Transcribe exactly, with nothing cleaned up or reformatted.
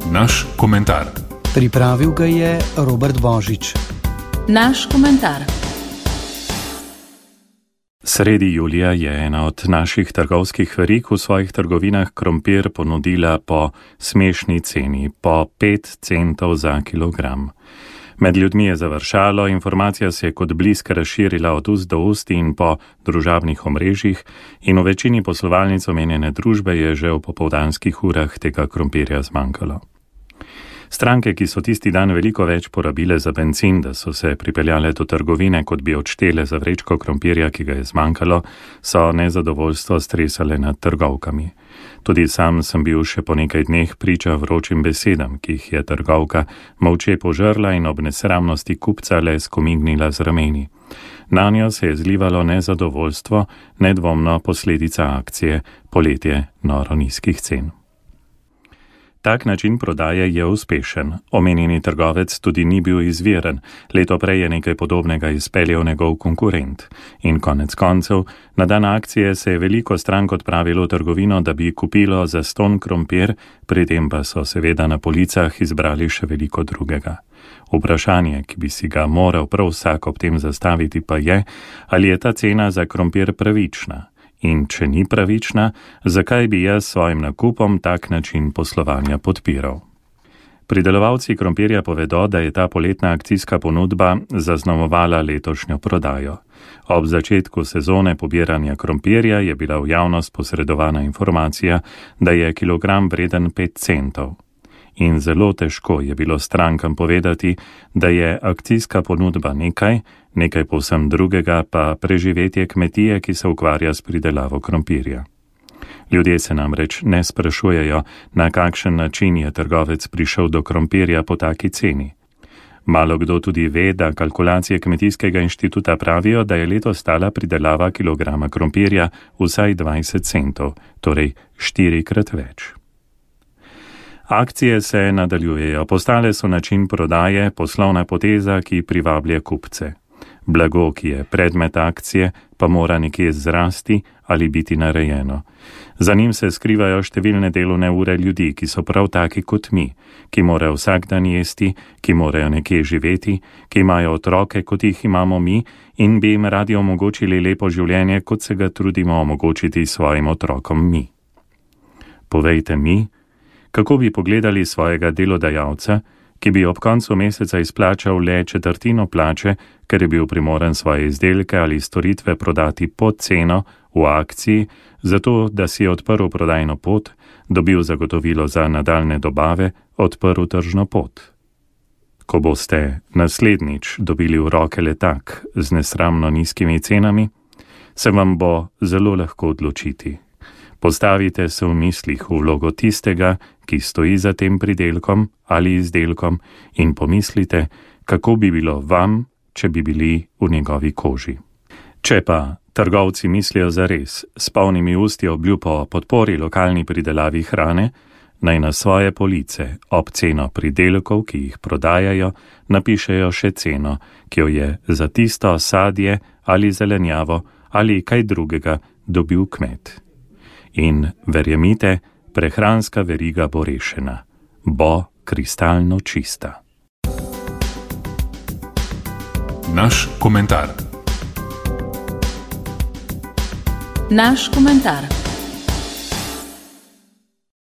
Naš komentar. Pripravil ga je Robert Božič. Naš komentar. Sredi julija je ena od naših trgovskih verig v svojih trgovinah krompir ponudila po smešni ceni, po pet centov za kilogram. Med ljudmi je završalo, informacija se je kot blisk razširila od ust do ust in po družabnih omrežjih in v večini poslovalnic omenjene družbe je že v popoldanskih urah tega krompirja zmanjkalo. Stranke, ki so tisti dan veliko več porabile za bencin, da so se pripeljale do trgovine, kot bi odštele za vrečko krompirja, ki ga je zmanjkalo, so nezadovoljstvo stresale nad trgovkami. Tudi sam sem bil še po nekaj dneh priča vročim besedam, ki jih je trgovka molče požrla in ob nesramnosti kupca le skomignila z rameni. Nanjo se je zlivalo nezadovoljstvo, nedvomno posledica akcije Poletje noro nizkih cen. Tak način prodaje je uspešen. Omenjeni trgovec tudi ni bil izviren. Leto prej je nekaj podobnega izpeljal njegov konkurent. In konec koncev, na dan akcije se je veliko strank odpravilo v trgovino, da bi kupilo zastonj krompir, pri tem pa so seveda na policah izbrali še veliko drugega. Vprašanje, ki bi si ga moral prav vsak ob tem zastaviti, pa je, ali je ta cena za krompir pravična. In če ni pravična, zakaj bi jaz svojim nakupom tak način poslovanja podpiral? Pridelovalci krompirja povedo, da je ta poletna akcijska ponudba zaznamovala letošnjo prodajo. Ob začetku sezone pobiranja krompirja je bila v javnost posredovana informacija, da je kilogram vreden pet centov. In zelo težko je bilo strankam povedati, da je akcijska ponudba nekaj, nekaj povsem drugega pa preživetje kmetije, ki se ukvarja s pridelavo krompirja. Ljudje se namreč ne sprašujejo, na kakšen način je trgovec prišel do krompirja po taki ceni. Malo kdo tudi ve, da kalkulacije Kmetijskega inštituta pravijo, da je letos stala pridelava kilograma krompirja vsaj dvajset centov, torej štirikrat več. Akcije se nadaljujejo, postale so način prodaje, poslovna poteza, ki privablja kupce. Blago, ki je predmet akcije, pa mora nekje zrasti ali biti narejeno. Za njim se skrivajo številne delovne ure ljudi, ki so prav taki kot mi, ki morajo vsak dan jesti, ki morajo nekje živeti, ki imajo otroke, kot jih imamo mi in bi jim radi omogočili lepo življenje, kot se ga trudimo omogočiti svojim otrokom mi. Povejte mi, kako bi pogledali svojega delodajalca, ki bi ob koncu meseca izplačal le četrtino plače, ker je bil primoran svoje izdelke ali storitve prodati pod ceno v akciji, zato da si je odprl prodajno pot, dobil zagotovilo za nadaljne dobave, odprl tržno pot. Ko boste naslednjič dobili v roke letak z nesramno nizkimi cenami, se vam bo zelo lahko odločiti. Postavite se v mislih v vlogo tistega, ki stoji za tem pridelkom ali izdelkom in pomislite, kako bi bilo vam, če bi bili v njegovi koži. Če pa trgovci mislijo zares, s polnimi usti obljub o podpori lokalni pridelavi hrane, naj na svoje police ob ceno pridelkov, ki jih prodajajo, napišejo še ceno, ki jo je za tisto sadje ali zelenjavo ali kaj drugega dobil kmet. In verjemite, prehranska veriga bo rešena, bo kristalno čista. Naš komentar. Naš komentar.